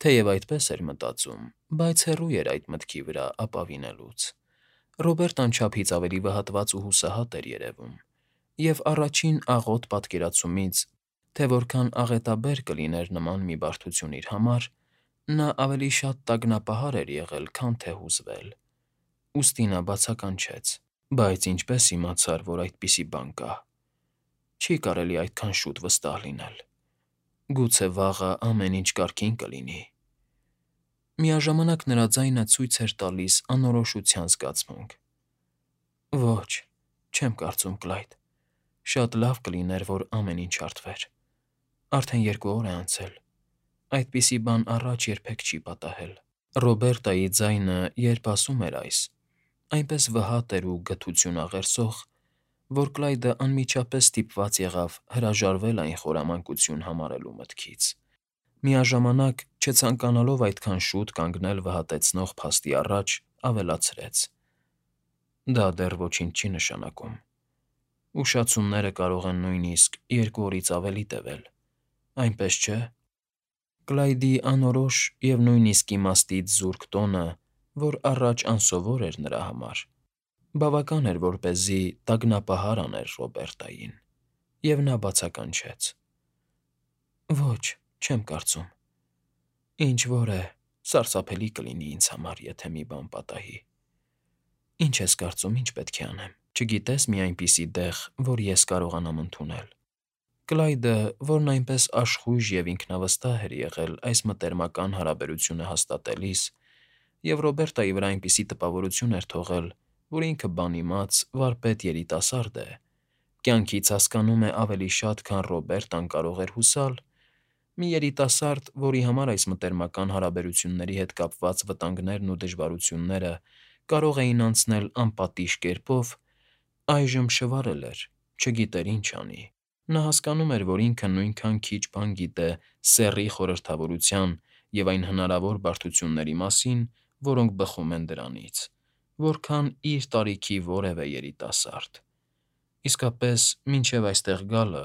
Թեև այդպես էր մտածում, բայց հեռու էր այդ մտքի վրա ապավինելուց։ Ռոբերտն անչափից ավելի վհատված ու հուսահատ էր երևում, և առաջին աղոտ պատկերացումից, թե որքան աղետաբեր կլիներ նման մի բարդություն իր համար, նա ավելի շատ տագնապահար էր եղել, քան թե հուզվել։ Ուստի նա բացականչեց. «Բայց ինչպե՞ս իմացար, որ այդպիսի բան կա։ Չի կարելի այդքան շուտ վստահ լինել։ Գուցե վաղը ամեն ինչ կարգին կլինի»։ Միաժամանակ նրա ձայնը ցույց էր տալիս անորոշության զգացմունք։ «Ոչ, չեմ կարծում, Կլայդ։ Շատ լավ կլիներ, որ ամեն ինչ հարթվեր։ Արդեն 2 օր է անցել։ Այդպիսի բան առաջ երբեք չի պատահել»։ Ռոբերտայի ձայնը, երբ ասում էր այս, այնպես վհատ էր ու գթություն աղերսող, որ Կլայդը անմիջապես ստիպված եղավ հրաժարվել այն խորամանկություն համարելու մտքից։ Միաժամանակ, չցանկանալով այդքան շուտ կանգնել վհատեցնող փաստի առաջ, ավելացրեց. «Դա դեռ ոչինչ չի նշանակում։ Ուշացումները կարող են նույնիսկ 2 օրից ավելի տևել, այնպես չէ»։ Կլայդի անորոշ և նույնիսկ իմաստից զուրկ տոնը, որ առաջ անսովոր էր նրա համար, բավական էր, որպեսզի տագնապահար աներ Ռոբերտային, և նա բացականչեց. «Ոչ, չեմ կարծում։ Ինչ-որ է, սարսափելի կլինի ինձ համար, եթե մի բան պատահի։ Ինչ ես կարծում, ինչ պետք է անեմ։ Չգիտե՞ս մի այնպիսի տեղ, որ ես կարողանամ ընդունել»։ Կլայդը, որն այնպես աշխույժ և ինքնավստահ էր եղել այս մտերմական հարաբերությունը հաստատելիս, և Ռոբերտայի վրա այնպիսի տպավորություն էր թողել, որ ինքը բանիմաց, վարպետ երիտասարդ է, կյանքից հասկանում է ավելի շատ, քան Ռոբերտան կարող էր հուսալ, մի երիտասարդ, որի համար այս մտերմական հարաբերությունների հետ կապված վտանգներն ու դժվարությունները կարող էին անցնել անպատիժ կերպով, այժմ շվարել էր, չգիտեր ինչ անի։ Նա հասկանում էր, որ ինքը նույնքան քիչ բան գիտե սեռի խորհրդավորության և այն հնարավոր բարդությունների մասին, որոնք բխում են դրանից, որքան իր տարիքի որևէ երիտասարդ։ Իսկապես, մինչև այստեղ գալը,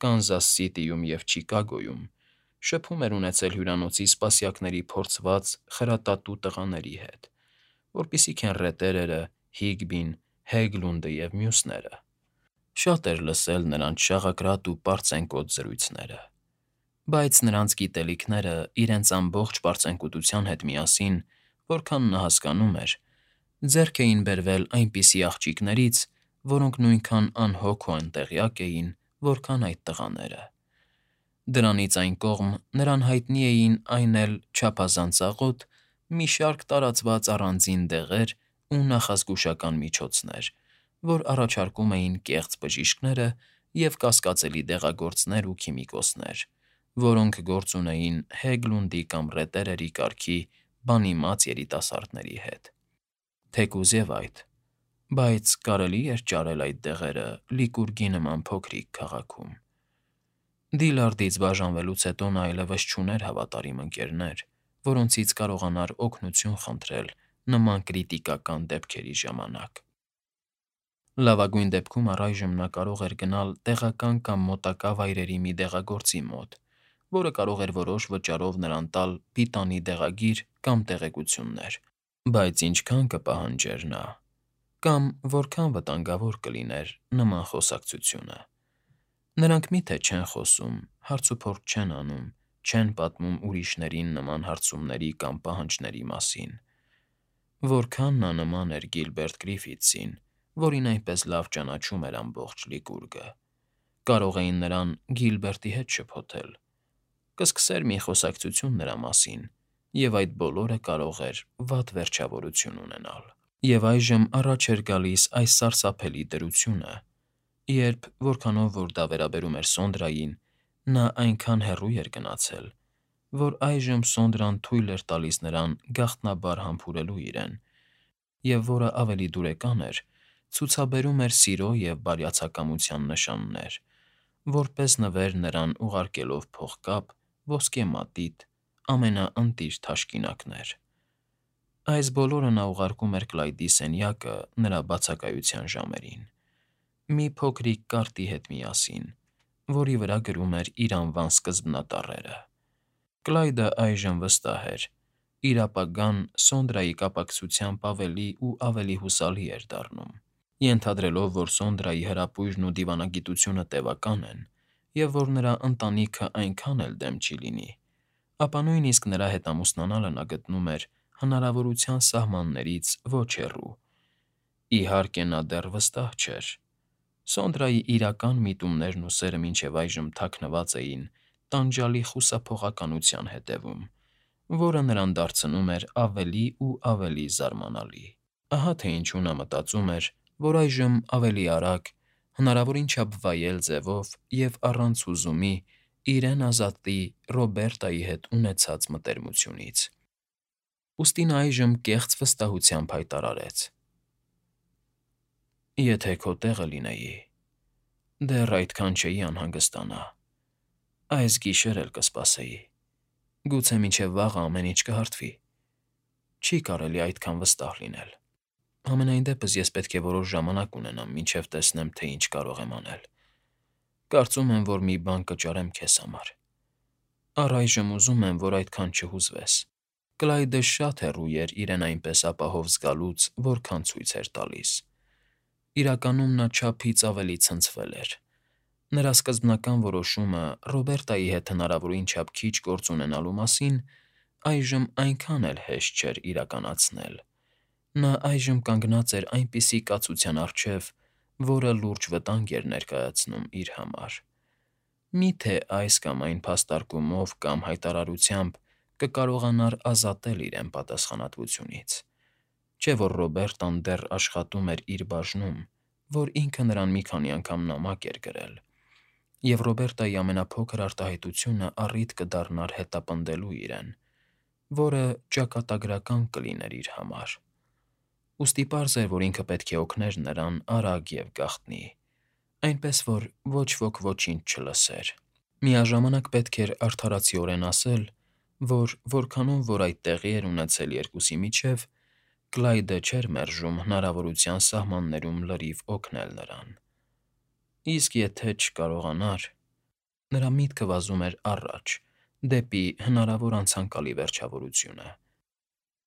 Կանզաս Սիթիում և Չիկագոյում շփում էր ունեցել հյուրանոցի սպասյակների փորձված, խրատատու տղաների հետ, որպիսիք են ռետերերը, Հիգբին, Հեգլունդը և մյուսները։ Շատ էր լսել նրանց շաղակրատ ու պարծենկոտ զրույցները, բայց նրանց գիտելիքները իրենց ամբողջ պարծենկոտության հետ միասին, որքան նա հասկանում էր, ձեռք էին բերվել այնպիսի աղջիկներից, որոնք նույնքան անհոգ ու անտեղյակ էին, որքան այդ տղաները։ Դրանից այն կողմ նրան հայտնի էին այն էլ չափազանց աղոտ մի շարք տարածված առանձին դեղեր ու նախազգուշական միջոցներ, որ առաջարկում էին կեղծ բժիշկները և կասկածելի դեղագործներ ու քիմիկոսներ, որոնք գործ ունեին Հեգլունդի կամ ռետերերի կարգի բանիմաց երիտասարդների հետ։ Թեկուզ և այդ, բայց կարելի՞ էր ճարել այդ դեղերը Լիկուրգի նման փոքրիկ քաղաքում։ Դիլարդից բաժանվելուց հետո նա այլևս չուներ հավատարիմ ընկերներ, որոնցից կարողանար օգնություն խնդրել նման կրիտիկական դեպքերի ժամանակ։ Լավագույն դեպքում առայժմ նա կարող էր գնալ տեղական կամ մոտակա վայրերի մի դեղագործի մոտ, որը կարող էր որոշ վճարով նրան տալ պիտանի դեղագիր կամ տեղեկություններ, բայց ինչքան կպահանջեր նա, կամ որքան վտանգավոր կլիներ նման խոսակցությունը։ Նրանք մի՞թե չեն խոսում, հարցուփորձ չեն անում, չեն պատմում ուրիշներին նման հարցումների կամ պահանջների մասին։ Որքան նա նման էր Գիլբերտ Գրիֆիթսին, որին այնպես լավ ճանաչում էր ամբողջ Լիկուրգը։ Կարող էին նրան Գիլբերտի հետ շփոթել, կսկսեր մի խոսակցություն նրա մասին, և այդ բոլորը կարող էր վատ վերջավորություն ունենալ։ Եվ այժմ առաջ էր գալիս այս սարսափելի դրությունը, երբ, որքանով որ դա վերաբերում էր Սոնդրային, նա այնքան հեռու էր գնացել, որ այժմ Սոնդրան թույլ էր տալիս նրան գաղտնաբար համբուրելու իրեն, և որը ավելի դուրեկան էր, ցուցաբերում էր սիրո և բարյացակամության նշաններ, որպես նվեր նրան ուղարկելով փողկապ, ոսկե մատիտ, ամենաընտիր թաշկինակներ։ Այս բոլորը նա ուղարկում էր Կլայդի սենյակը նրա բացակայության ժամերին, մի փոքրիկ կարտի հետ միասին, որի վրա գրում էր իր անվան սկզբնատառերը։ Կլայդը այժմ վստահ էր. իր ապագան Սոնդրայի կապակցությամբ ավելի ու ավելի հուսալի էր դառնում։ Ենթադրելով, որ Սոնդրայի հրապույրն ու դիվանագիտությունը տևական են, և որ նրա ընտանիքը այնքան էլ դեմ չի լինի, ապա նույնիսկ նրա հետ ամուսնանալը նա գտնում էր հնարավորության սահմաններից ոչ հեռու։ Իհարկե, նա դեռ վստահ չէր։ Սոնդրայի իրական միտումներն ու սերը մինչև այժմ թաքնված էին տանջալի խուսափողականության հետևում, որը նրան դարձնում էր ավելի ու ավելի զարմանալի։ Ահա թե ինչու նա մտածում էր, որ այժմ ավելի արագ, հնարավորին չափ վայել ձևով և առանց հուզումի իրեն ազատի Ռոբերտայի հետ ունեցած մտերմությունից։ Ուստի նա այժմ կեղծ վստահությամբ հայտարարեց. «Եթե քո տեղը լինեի, դեռ այդքան չէի անհանգստանա, այս գիշեր էլ կսպասեի, գուցե մինչև վաղը ամեն ինչ կհարթվի, չի կարելի այդքան վստահ լինել։ Համենայն դեպս ես պետք է որոշ ժամանակ ունենամ, մինչև տեսնեմ, թե ինչ կարող եմ անել։ Կարծում եմ, որ մի բան կճարեմ քեզ համար։ Առայժմ ուզում եմ, որ այդքան չհուզվես»։ Կլայդը շատ հեռու էր իրեն այնպես ապահով զգալուց, որքան ցույց էր տալիս։ Իրականում նա չափից ավելի ցնցվել էր։ Նրա սկզբնական որոշումը Ռոբերտայի հետ հնարավորին չափ քիչ գործ ունենալու մասին այժմ այնքան էլ հեշտ չէր իրականացնել։ Նա այժմ կանգնած էր այնպիսի կացության առջև, որը լուրջ վտանգ էր ներկայացնում իր համար։ Միթե այս կամ այն փաստարկումով կամ հայտարարությամբ կկարողանար ազատել իրեն պատասխանատվությունից։ Չէ՞ որ Ռոբերտան դեռ աշխատում էր իր բաժնում, որ ինքը նրան մի քանի անգամ նամակ էր գրել, և Ռոբերտայի ամենափոքր արտահայտությունը առիթ կդառնար հետապնդելու իրեն, որը ճակատագրական կլիներ իր համար։ Ուստի պարզ էր, որ ինքը պետք է օգներ նրան արագ և գաղտնի, այնպես որ ոչ ոք ոչինչ չլսեր։ Միաժամանակ պետք էր արդարացիորեն ասել, որ որքանում որ այդ տեղի էր ունեցել երկուսի միջև, Կլայդը չէր մերժում հնարավորության սահմաններում լրիվ օգնել նրան։ Իսկ եթե չկարողանար… Նրա միտքը վազում էր առաջ, դեպի հնարավոր անցանկալի վերջավորությունը։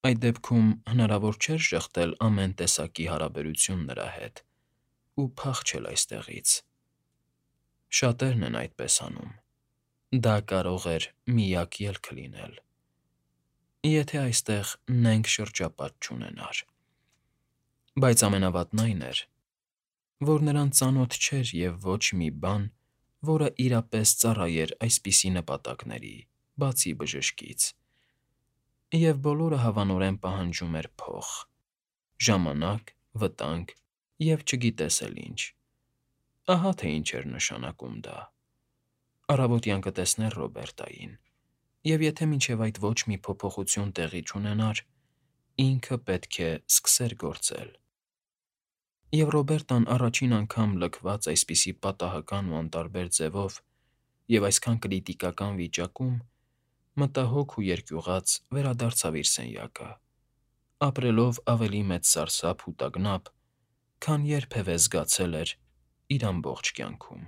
Այդ դեպքում հնարավոր չէր շեղդել ամեն տեսակի հարաբերություն նրա հետ ու փախչել այստեղից։ Շատերն են այդպես անում։ Դա կարող էր միակ ելքը լինել, եթե այստեղ նենգ շրջապատ չունենար։ Բայց ամենավատն այն էր, որ նրան ծանոթ չէր և ոչ մի բան, որը իրապես ծառայեր այսպիսի նպատակների, բացի բժշկից։ Եվ բոլորը հավանորեն պահանջում էր փող, ժամանակ, վտանգ և չգիտես էլ ինչ։ Ահա թե ինչ էր նշանակում դա։ Առավոտյան կտեսներ Ռոբերտային, և եթե մինչև այդ ոչ մի փոփոխություն տեղի չունենար, ինքը պետք է սկսեր գործել։ Եվ Ռոբերտան առաջին անգամ լքված այսպիսի պատահական ու անտարբեր ձևով և այսքան կրիտիկական վիճակում, մտահոգ ու երկյուղած վերադարձավ իր սենյակը, ապրելով ավելի մեծ սարսափ ու տագնապ, քան երբևէ զգացել էր իր ամբողջ կյանքում։